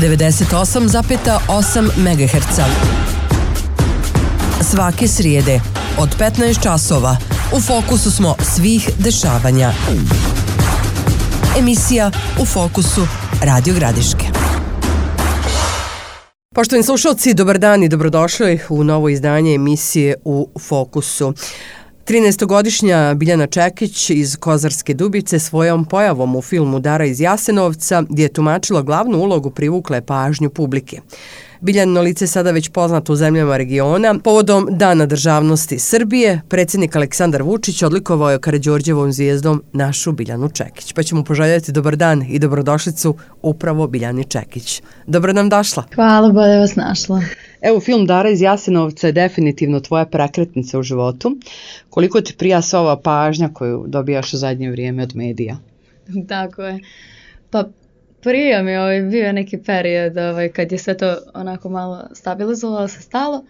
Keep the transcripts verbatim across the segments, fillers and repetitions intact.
devedeset osam zarez osam megaherca. Svake srijede od petnaest časova u fokusu smo svih dešavanja. Emisija U fokusu Radio Gradiške. Poštovani slušalci, dobar dan i dobrodošli u novo izdanje emisije U fokusu. trinaestogodišnja Biljana Čekić iz Kozarske Dubice svojom pojavom u filmu Dara iz Jasenovca, gdje je tumačila glavnu ulogu, privukla je pažnju publike. Biljanino lice je sada već poznato u zemljama regiona. Povodom Dana državnosti Srbije, predsjednik Aleksandar Vučić odlikovao je Karađorđevom zvijezdom našu Biljanu Čekić. Pa ćemo poželjeti dobar dan i dobrodošlicu upravo Biljani Čekić. Dobro nam došla. Hvala, bolje vas našla. Evo, film Dara iz Jasenovca je definitivno tvoja prekretnica u životu. Koliko ti prija sva ova pažnja koju dobijaš u zadnje vrijeme od medija? Tako je. Pa prije mi ovaj, bio je neki period ovaj, kad je sve to onako malo stabilizovalo se stalo.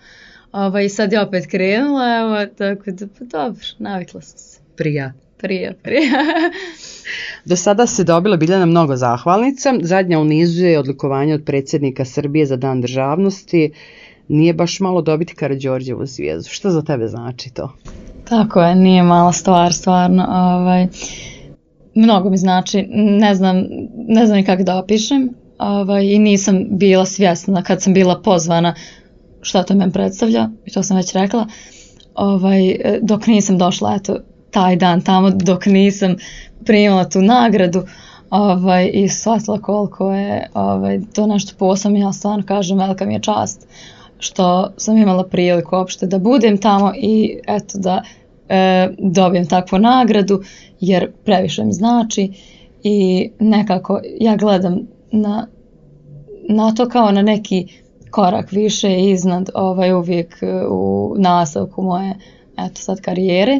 Ovaj, sad je opet krenula, evo, tako da pa dobro, navikla sam se. Prija. Prije, prije. Do sada se dobila Biljana mnogo zahvalnica. Zadnja u nizu je odlikovanje od predsjednika Srbije za Dan državnosti. Nije baš malo dobiti Karađorđevu zvijezdu. Što za tebe znači to? Tako je, nije mala stvar, stvarno. Ovaj, mnogo mi znači, ne znam, ne znam ni kako da opišem. Ovaj, I nisam bila svjesna kad sam bila pozvana šta to meni predstavlja. I to sam već rekla. Ovaj, dok nisam došla, eto, taj dan tamo, dok nisam primila tu nagradu ovaj, i shvatila koliko je ovaj, to nešto posebno. Ja stvarno kažem, velika mi je čast što sam imala priliku uopšte da budem tamo i eto da e, dobijem takvu nagradu, jer previše mi znači i nekako ja gledam na, na to kao na neki korak više iznad ovaj, uvijek u nastavku moje eto sad karijere.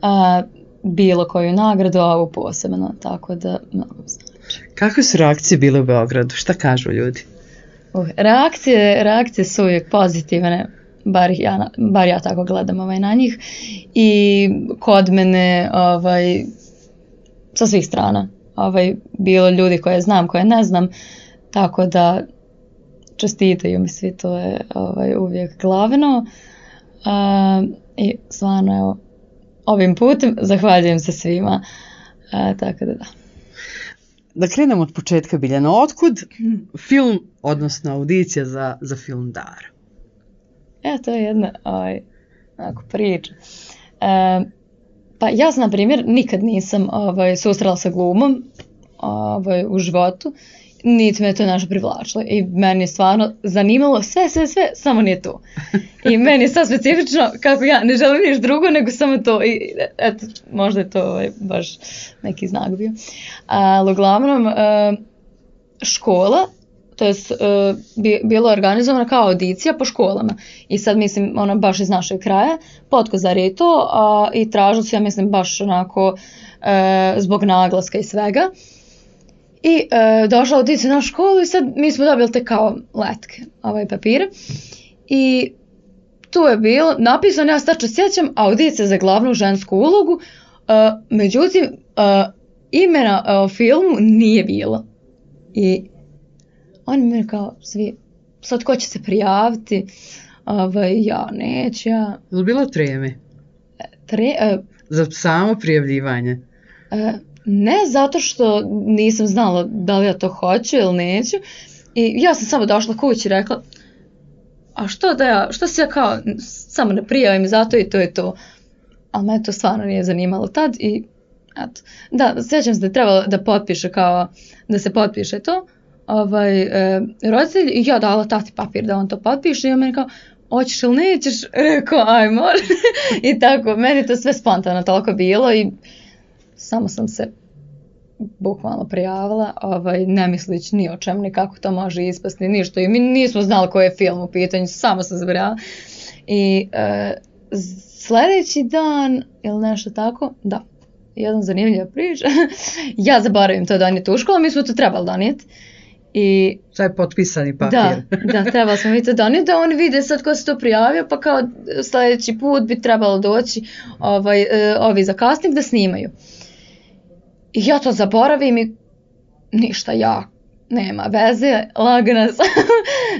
Uh, bilo koju nagradu, a ovu posebno, tako da mnogo znači. Kakve su reakcije bile u Beogradu? Šta kažu ljudi? Uh, reakcije, reakcije su uvijek pozitivne, bar ja, bar ja tako gledam ovaj, na njih. I kod mene ovaj, sa svih strana. Ovaj, bilo ljudi koje znam, koje ne znam, tako da čestitaju mi svi, to je ovaj, uvijek glavno. Uh, I stvarno, evo, ovim putem zahvaljujem se svima, a, tako da da. Da krenemo od početka, Biljana. Otkud film, odnosno audicija za, za film Dara? Evo, to je jedna ovaj, onako, priča. E, pa ja sam, na primjer, nikad nisam ovaj, susrela sa glumom ovaj, u životu, niti me to nešto privlačilo i meni je stvarno zanimalo sve, sve, sve, samo nije to. I meni je sad specifično kako ja ne želim ništa drugo nego samo to i eto, možda je to ovaj, baš neki znak bio. Ali uglavnom škola, to je bilo organizovano kao audicija po školama i sad mislim ono baš iz našeg kraja, Potkozar je to a, i tražili su ja mislim baš onako e, zbog naglaska i svega. I e, došla audicija na školu i sad mi smo dobili te kao letke, ovaj papire. I tu je bilo napisano, ja se tačno sjećam, audicija za glavnu žensku ulogu, e, međutim, e, imena o filmu nije bilo. I oni mi kao svi, sad ko će se prijaviti, ovaj, ja neću, ja. Je li bilo treme? Tre, e, za samo prijavljivanje? E, Ne zato što nisam znala da li ja to hoću ili neću. I ja sam samo došla kući i rekla, a što da ja, što se ja kao samo ne prijavim za to i to je to. Ali me to stvarno nije zanimalo tad i eto. Da, sjećam se da je trebalo da potpiše kao, da se potpiše to. Ovaj, e, roditelj i ja dala tati papir da on to potpiše i on meni kao, hoćeš ili nećeš? Rekao, aj može. I tako, meni to sve spontano toliko bilo i samo sam se bukvalno prijavila, ovaj, ne mislići ni o čemu, ni kako to može ispasti, ništa. I mi nismo znali koji je film u pitanju, samo sam zabrala. I e, sljedeći dan, ili nešto tako, da, jedan zanimljiva priča, ja zaboravim to donijeti u školu, mi smo to trebali donijeti. I sad je potpisani papir. Da, da, trebali smo mi to donijeti, da oni vide sad ko se to prijavio, pa kao sljedeći put bi trebalo doći ovaj, e, ovi za casting da snimaju. I ja to zaboravim i ništa, ja nema veze, lagana sam,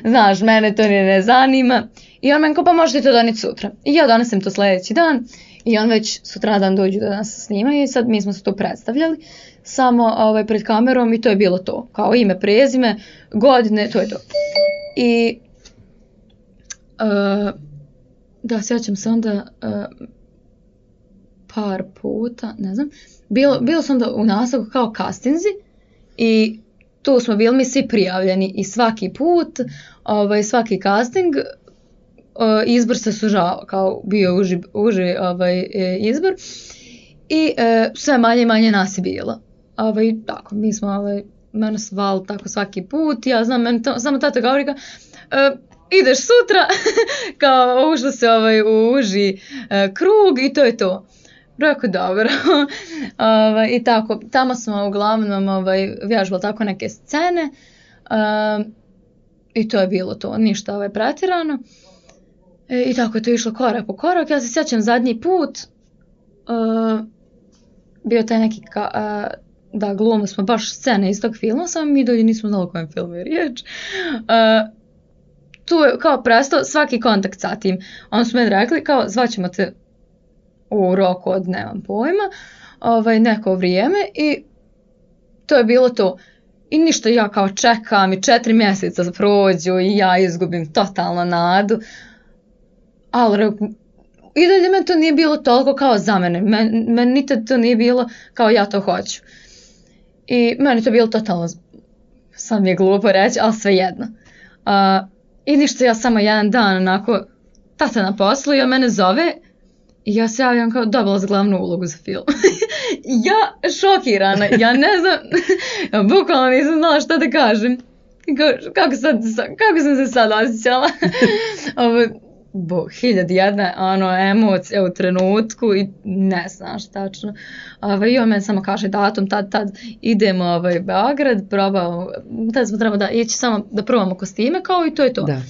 znaš, mene to ne, ne zanima. I on meni kao, pa možete to doneti sutra. I ja donesem to sljedeći dan i on već sutradan dođu da nas snimaju i sad mi smo se tu predstavljali samo ovaj, pred kamerom i to je bilo to. Kao ime, prezime, godine, to je to. I uh, da, sjećam se onda uh, par puta, ne znam, bilo, bilo sam onda u nastavku kao castingzi i tu smo bili mi svi prijavljeni i svaki put, ovaj, svaki casting, izbor se sužao, kao bio uži, uži ovaj, izbor i e, sve manje i manje nas je bilo. Ovaj, tako, mi smo, ovaj, mene sval tako svaki put, ja znam, meni to, samo tata govori kao, e, ideš sutra, kao ušlo se ovaj, u uži e, krug i to je to. Rekao, dobro. ovaj, I tako, tamo smo uglavnom ovaj, vježbali tako neke scene uh, i to je bilo to, ništa ovaj, pretjerano. E, I tako je to išlo korak po korak. Ja se sjećam zadnji put, uh, bio taj neki, ka, uh, da glumili smo baš scene iz tog filma, samo mi dolje nismo znali o kojem filmu je riječ. Uh, tu je kao prestao svaki kontakt sa tim. Oni su meni rekli kao, zvaćemo te u roku od, nemam pojma, ovaj, neko vrijeme i to je bilo to. I ništa, ja kao čekam i četiri mjeseca prođu i ja izgubim totalno nadu. Ali i dalje meni to nije bilo toliko kao za mene. Meni men nikad to nije bilo kao ja to hoću. I meni to bilo totalno, sad mi je glupo reći, ali svejedno. Uh, I ništa, ja samo jedan dan onako, tata na poslu i on mene zove i ja se javljam kao dobila za glavnu ulogu za film. Ja šokirana, ja ne znam, bukvalno nisam znala šta da kažem. Kako, kako, sad, kako sam se sad osjećala? Ovo, bo, hiljad jedne ono, emocije u trenutku i ne znam šta tačno. Ovo, I on meni samo kaže datum, tad, tad idemo ovaj, Beograd, probamo, tad smo trebali da ići samo da probamo kostime kao i to je to. Da.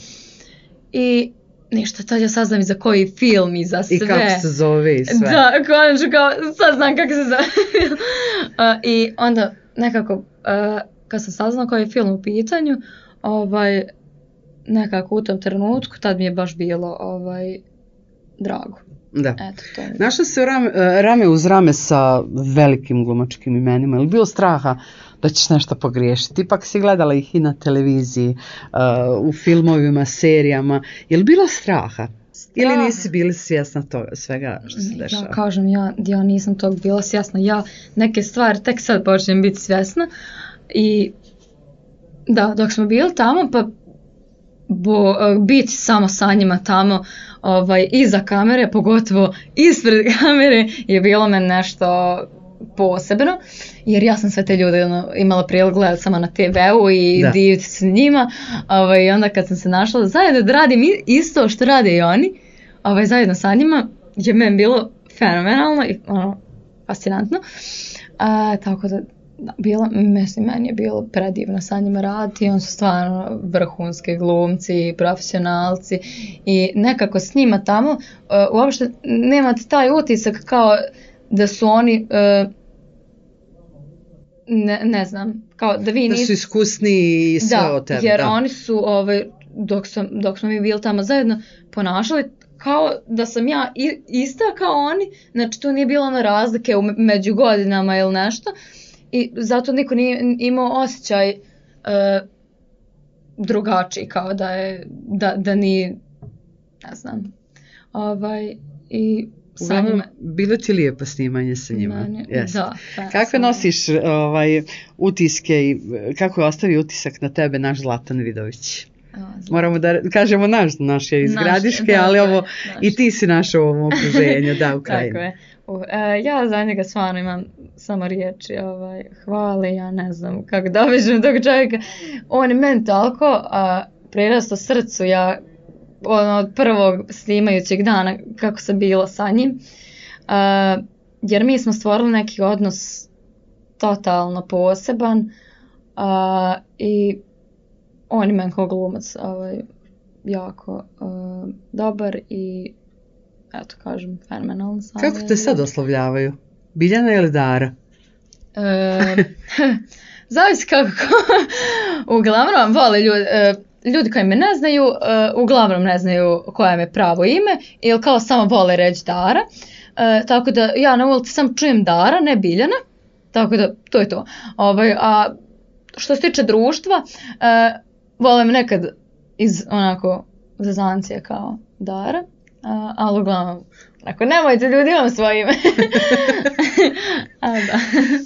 I ništa, tad ja saznam i za koji film i za sve. I kako se zove i sve. Da, konačno kao, sad znam kako se zove. uh, I onda nekako, uh, kad sam saznala koji je film u pitanju, ovaj, nekako u tom trenutku, tad mi je baš bilo ovaj, drago. Da. Eto, to je. Našla se rame, rame uz rame sa velikim glumačkim imenima. Je li bilo straha da ćeš nešto pogriješiti? Ipak si gledala ih i na televiziji, uh, u filmovima, serijama. Je li bilo straha? Ili nisi bili svjesna toga, svega što se dešava? Ja kažem, ja, ja nisam tog bila svjesna. Ja neke stvari tek sad počnem biti svjesna. I da, dok smo bili tamo, pa bo, biti samo sa njima tamo, ovaj, iza kamere, pogotovo ispred kamere, je bilo meni nešto posebno, jer ja sam sve te ljude ono, imala prilog gledati samo na te veu i da. Diviti se njima, ovaj, i onda kad sam se našla zajedno da radim isto što rade i oni, ovaj, zajedno sa njima, je meni bilo fenomenalno i ono, fascinantno. A, tako da, da bilo, mislim, meni je bilo predivno sa njima raditi, oni su stvarno vrhunski glumci, profesionalci i nekako s njima tamo uh, uopšte nemate taj utisak kao da su oni, uh, ne, ne znam, kao da vi da nis... su iskusni i sve da, od tebe. Jer da, oni su, ovaj, dok, sam, dok smo mi bili tamo zajedno, ponašali kao da sam ja i, ista kao oni, znači tu nije bilo na razlike u, među godinama ili nešto. I zato niko nije imao osjećaj uh, drugačiji, kao da je, da, da nije, ne znam, ovaj, i sa njima. Bilo ti lijepo snimanje sa njima? Meni, yes. Da. Pa, kakve nosiš ovaj, utiske i kako je ostavio utisak na tebe naš Zlatan Vidović? Moramo da kažemo naš, naš je iz naš, Gradiške, da, ali ovo, naš. I ti si naš u ovom okruženju, da, u krajini. Tako je. Uh, ja za njega stvarno imam samo riječi ovaj, hvale, ja ne znam kako da obiđem tog čovjeka. On je meni toliko uh, prirastao srcu, ja ono, od prvog snimajućeg dana kako sam bila sa njim, uh, jer mi smo stvorili neki odnos totalno poseban uh, i on je meni kao glumac ovaj, jako uh, dobar i eto kažem, fenomenalno sam. Kako te sad oslovljavaju? Biljana ili Dara? E, zavisi kako. uglavnom vole ljudi, uh, ljudi koji me ne znaju, uh, uglavnom ne znaju koje me pravo ime ili kao samo vole reći Dara. Uh, tako da ja na ulici sam čujem Dara, ne Biljana. Tako da to je to. Ovaj, a što se tiče društva, uh, vole me nekad iz onako zezancije kao Dara, uh, ali uglavnom ako nemojte ljudi, imam svoje ime. A, da.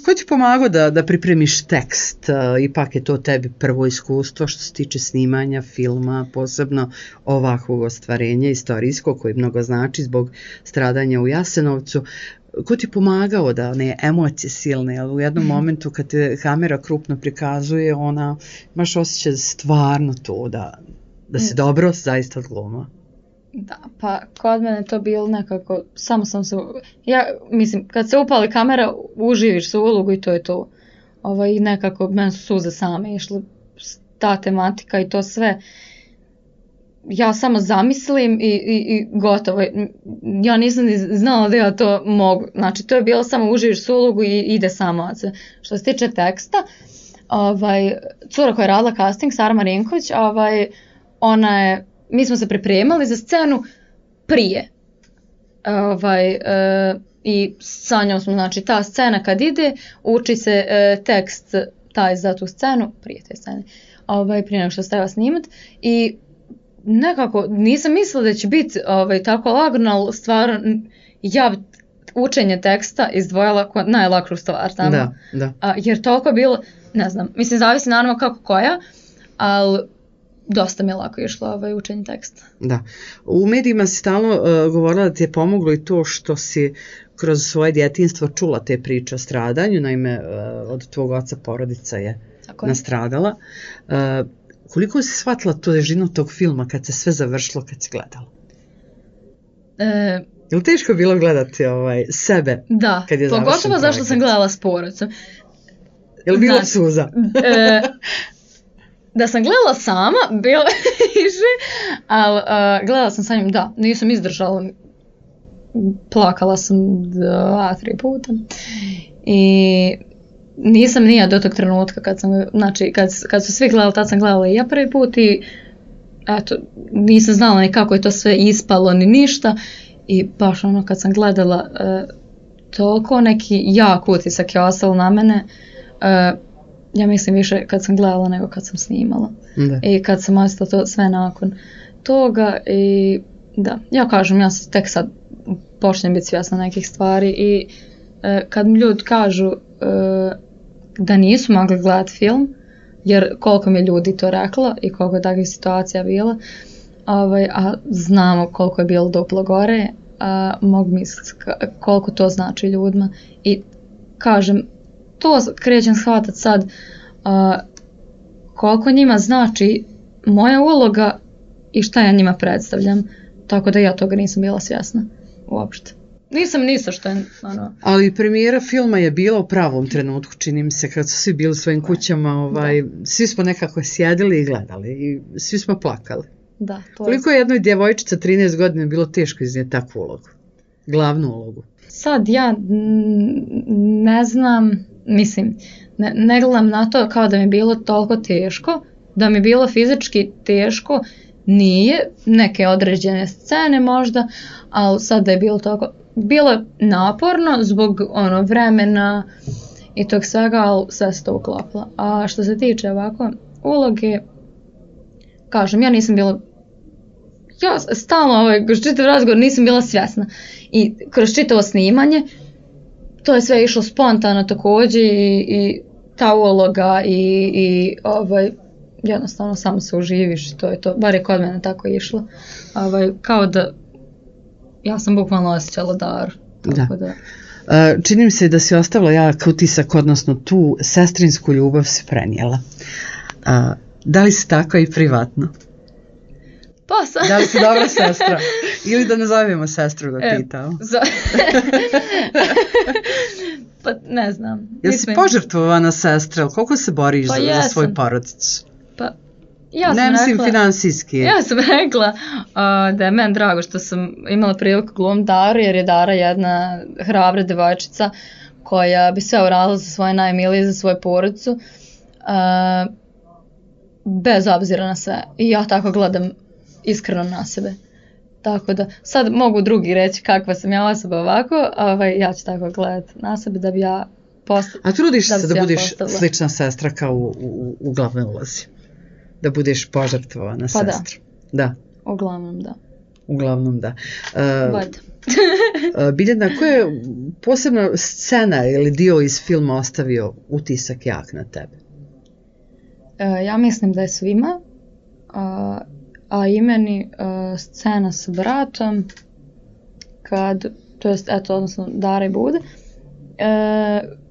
Ko ti pomagao da, da pripremiš tekst? Uh, ipak je to tebi prvo iskustvo što se tiče snimanja filma, posebno ovakvog ostvarenja istorijskog koji mnogo znači zbog stradanja u Jasenovcu. Ko ti pomagao da ne emocije silne, ali u jednom momentu kad te kamera krupno prikazuje, ona imaš osjećaj stvarno to, da, da si dobro zaista odglumila. Da, pa kod mene to bilo nekako, samo sam se, ja mislim, kad se upali kamera, uživiš se u ulogu i to je to. Ovaj, nekako, meni su suze same išle, ta tematika i to sve. Ja samo zamislim i, i, i gotovo. Ja nisam ni znala da ja to mogu. Znači, to je bilo samo uživiš se u ulogu i ide samo. Što se tiče teksta, ovaj, cura koja je radila casting, Sara Marinković, ovaj, ona je, mi smo se pripremali za scenu prije. Ovaj, e, I sa njom smo, znači, ta scena kad ide, uči se e, tekst taj za tu scenu, prije te scene, ovaj, prije nego što se treba snimat. I nekako nisam mislila da će biti ovaj, tako lagano, ali stvarno ja učenje teksta izdvojila kao najlakšu stvar tamo. Da, da. A, jer toliko je bilo, ne znam, mislim zavisi naravno kako koja, ali dosta mi je lako išlo ovaj, učenje teksta. Da. U medijima si stalno uh, govorila da ti je pomoglo i to što si kroz svoje djetinjstvo čula te priče o stradanju, naime uh, od tvog oca porodica je tako nastradala. Uh, koliko si shvatila tu težinu tog filma kad se sve završilo, kad si gledala? E, je li teško bilo gledati ovaj, sebe da, kad je završen pogotovo projekat? Zašto sam gledala s porodicom. Je li bilo znači, suza? E, da sam gledala sama, bilo više, ali uh, gledala sam sa njim, da, nisam izdržala, plakala sam dva, tri puta i nisam nija do tog trenutka kad sam, znači kad, kad su svi gledali, tad sam gledala i ja prvi put i eto, nisam znala ni kako je to sve ispalo, ni ništa i baš ono kad sam gledala, uh, toliko neki jak utisak je ostalo na mene, uh, ja mislim više kad sam gledala nego kad sam snimala. Da. I kad sam ostala to sve nakon toga i da, ja kažem, ja tek sad počnem biti svjesna nekih stvari i e, kad mi ljudi kažu e, da nisu mogli gledati film, jer koliko mi ljudi to reklo i koliko je takvih situacija bila, ovaj, a znamo koliko je bilo duplo gore, a mogu misliti koliko to znači ljudima i kažem, to krećem shvatati sad uh, koliko njima znači moja uloga i šta ja njima predstavljam, tako da ja toga nisam bila svjesna uopšte. Nisam ništa što je ono... Ali premijera filma je bila u pravom trenutku, čini mi se, kad su svi bili u svojim kućama, ovaj, svi smo nekako sjedili i gledali i svi smo plakali. Da, to koliko je jednoj djevojčica trinaest godina bilo teško iznijeti takvu ulogu, glavnu ulogu? Sad ja ne znam, mislim, ne, ne gledam na to kao da mi je bilo toliko teško, da mi je bilo fizički teško, nije, neke određene scene možda, ali sad da je bilo toliko, bilo je naporno zbog ono vremena i tog svega, ali sve se to uklopilo. A što se tiče ovako uloge, kažem, ja nisam bila, ja stalno ovaj, kroz čitav razgovor nisam bila svjesna i kroz čitavo snimanje to je sve išlo spontano također i, i ta uloga i, i ovaj, jednostavno samo se uživiš i to je to, bar je kod mene tako išlo, ovaj, kao da ja sam bukvalno osjećala dar. Tako da. Da. Čini mi se da si ostavila jak utisak, odnosno tu sestrinsku ljubav si prenijela. A, da li si tako i privatno? Pa sam. Da li si dobra sestra? Ili da nazovemo sestru da pitao? E, za... pa ne znam. Jel si požrtvovana sestra? Koliko se boriš pa za, za svoju porodicu? Pa ja sam ne mislim rekla, finansijski. Ja sam rekla uh, da je meni drago što sam imala priliku glumiti Daru, jer je Dara jedna hrabra devojčica koja bi sve uradila za svoje najmilije, za svoju porodicu. Uh, bez obzira na sve. I ja tako gledam iskreno na sebe. Tako da, sad mogu drugi reći kakva sam ja osoba ovako, ovaj, ja ću tako gledati na sebe da bi ja postala. A trudiš se da, da budeš postala slična sestra kao u, u, u glavnoj ulozi? Da budeš požrtvovana pa sestra? Da. Da. Uglavnom da. Uglavnom da. Uh, Biljana, koja je posebna scena ili dio iz filma ostavio utisak jak na tebe? Uh, ja mislim da je svima, uh, a i meni uh, scena s bratom, kad, to jest, eto, odnosno Dara i Bude, uh,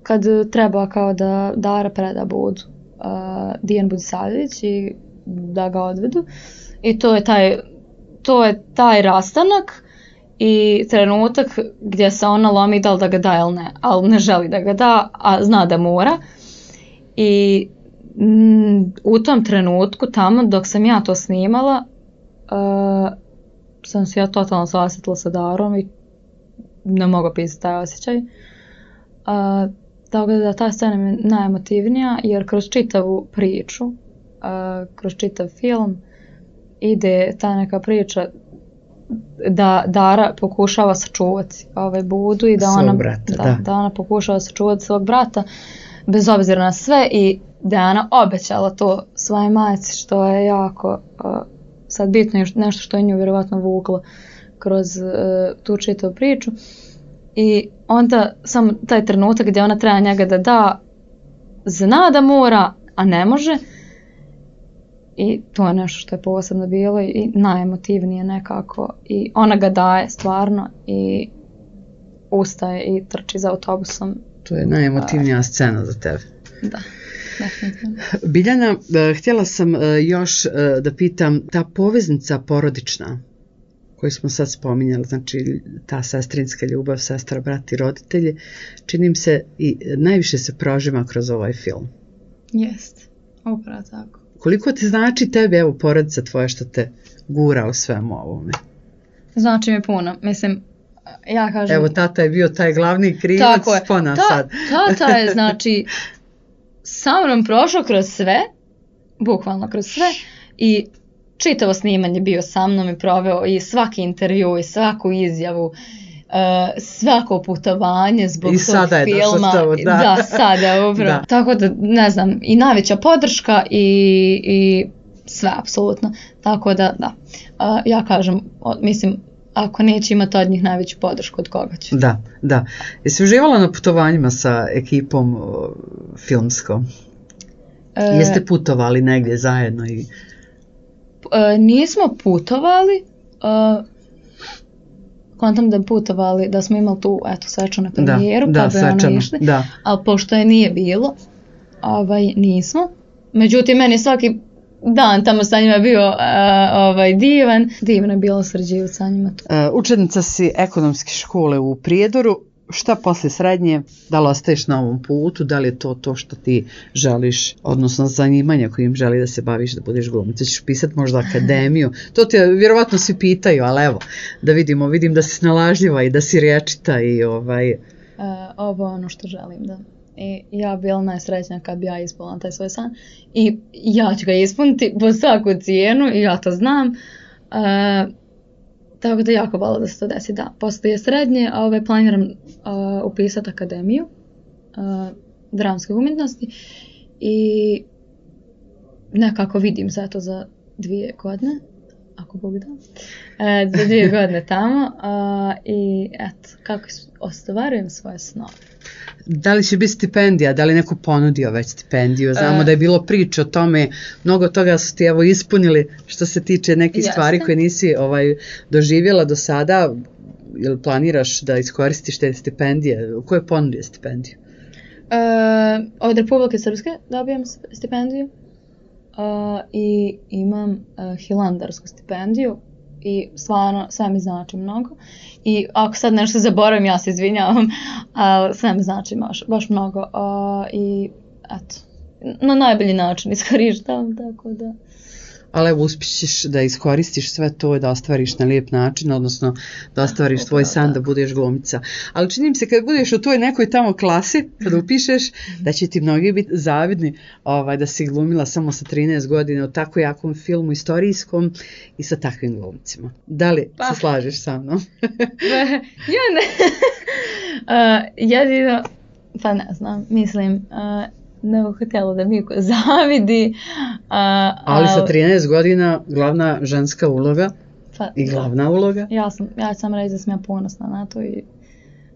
kad treba kao da Dara preda Budu uh, Dijanu Budisavljević i da ga odvedu. I to je taj, to je taj rastanak i trenutak gdje se ona lomi da li da ga da ili ne, ali ne želi da ga da, a zna da mora. I mm, u tom trenutku tamo dok sam ja to snimala, uh, sam se ja totalno sasjetila sa Darom i ne mogu pisati taj osjećaj. Uh, tako da ta scena mi je najemotivnija jer kroz čitavu priču, uh, kroz čitav film ide ta neka priča da Dara pokušava sačuvati ovaj Budu i da ona, brata, da, da. da ona pokušava sačuvati svog brata bez obzira na sve i da je ona obećala to svojoj majci što je jako uh, sad bitno nešto što je nju vjerovatno vuklo kroz uh, tu čitavu priču i onda samo taj trenutak gdje ona treba njega da da, zna da mora, a ne može. I to je nešto što je posebno bilo i najemotivnije nekako. I ona ga daje stvarno i ustaje i trči za autobusom. To je najemotivnija scena za tebe. Da, definitivno. Biljana, htjela sam još da pitam, ta poveznica porodična koju smo sad spominjali, znači ta sestrinska ljubav, sestra, brat i roditelji, činim se i najviše se prožima kroz ovaj film. Jest, upravo tako. Koliko ti znači tebi, evo, porodica tvoja što te gura u svemu ovome? Znači mi puno. Mislim, ja kažem... Evo, tata je bio taj glavni krivac, spona Ta, sad. Tata je, znači, sa mnom prošao kroz sve, bukvalno kroz sve, i čitavo snimanje bio sa mnom i proveo i svaki intervju i svaku izjavu, Uh, svako putovanje zbog I tog sada je filma. Tamo, da. da, sada upravo. Da. Tako da, ne znam, i najveća podrška i, i sve, apsolutno. Tako da, da. Uh, ja kažem, o, mislim, ako neće imati od njih najveću podršku, od koga će? Da, da. Jesi uživala na putovanjima sa ekipom o, filmskom? Uh, Jeste putovali negdje zajedno? I... Uh, nismo putovali, uh, kontam da putovali, da smo imali tu, eto, svečanu premijeru, da, pa da, bi ono išli, da. Ali pošto je nije bilo, ovaj, nismo. Međutim, meni svaki dan tamo sa njima bio uh, ovaj, divan, divno je bilo sređivati sa njima tu. Uh, učenica si ekonomske škole u Prijedoru, šta posle srednje, da li ostaješ na ovom putu, da li je to to što ti želiš, odnosno zanimanja kojim želi da se baviš, da budeš glumica, ćeš pisati možda akademiju, to te vjerovatno svi pitaju, ali evo, da vidimo, vidim da si snalažljiva i da si rječita i ovaj... Uh, ovo je ono što želim, da. I ja bi bila najsrećnija kad bi ja ispunila taj svoj san i ja ću ga ispuniti po svaku cijenu i ja to znam. Uh, Tako da jako volila da se to desi, da. Poslije srednje ove, planiram uh, upisati akademiju uh, dramske umjetnosti i nekako vidim se to za dvije godine, ako Bog da, e, za dvije godine tamo uh, i eto, kako ostvarujem svoje snove. Da li će biti stipendija, da li neko ponudio već stipendiju? Znamo e, da je bilo priče o tome, mnogo toga su ti evo ispunili što se tiče nekih jeste. Stvari koje nisi ovaj, doživjela do sada. Jel planiraš da iskoristiš te stipendije? Ko je ponudio stipendiju? E, od Republike Srpske dobijem stipendiju uh, i imam uh, hilandarsku stipendiju. I stvarno sve mi znači mnogo i ako sad nešto zaboravim ja se izvinjavam, ali sve mi znači baš, baš mnogo uh, i eto, na najbolji način iskorištavam, tako da. ali evo uspjećeš da iskoristiš sve to, da ostvariš na lijep način, odnosno da ostvariš tvoj san da budeš glumica. Ali čini mi se kad budeš u toj nekoj tamo klasi, kada upišeš, da će ti mnogi biti zavidni ovaj, da si glumila samo sa trinaest godina u tako jakom filmu istorijskom i sa takvim glumcima. Da li pa. se slažeš sa mnom? Ja ne. uh, jedino, pa ne znam, mislim, uh, ne bih htjela da mi zavidi. Uh, ali sa trinaest godina glavna ženska uloga pa, i glavna da. uloga. Ja sam, ja sam reći da sam ja ponosna na to i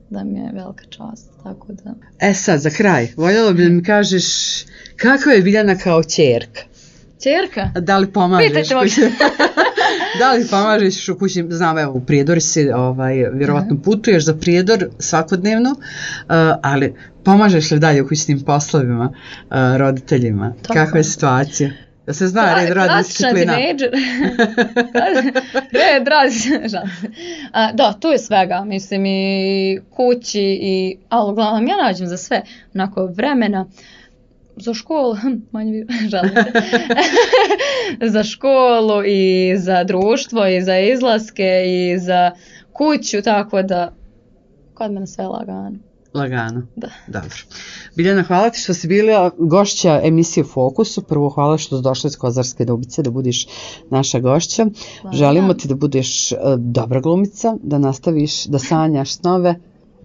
da mi je velika čast. Tako da. E sad, za kraj, voljela bi da mi kažeš kakva je Biljana kao ćerka? Ćerka? Da li pomažeš? Pitajte kući... da li pomažeš u kući? Znam, evo, u Prijedor si, ovaj, vjerovatno uh-huh. putuješ za Prijedor svakodnevno, uh, ali pomažeš li dalje u kućnim poslovima uh, roditeljima? Tako. Kakva je situacija? Da se zna red, rad, disciplina. Red, rad, da, tu je svega, mislim i kući, i, ali uglavnom ja nađem za sve, onako vremena, za školu, manje žalim se, za školu i za društvo i za izlaske i za kuću, tako da kod mene sve lagano. Lagano. Da. Dobro. Biljana, hvala ti što si bila gošća emisije Fokusu. Prvo hvala što si došla iz Kozarske Dubice da budiš naša gošća. Hvala. Želimo ti da budeš uh, dobra glumica, da nastaviš da sanjaš snove.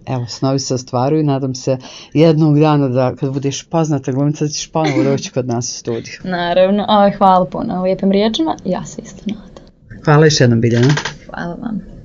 Evo, snovi se ostvaruju, nadam se jednog dana da kad budeš poznata glumica da ćeš ponovo doći kod nas u studiju. Naravno, o, hvala puno lijepim riječima, ja se isto nadam. Hvala još jednom, Biljana. Hvala vam.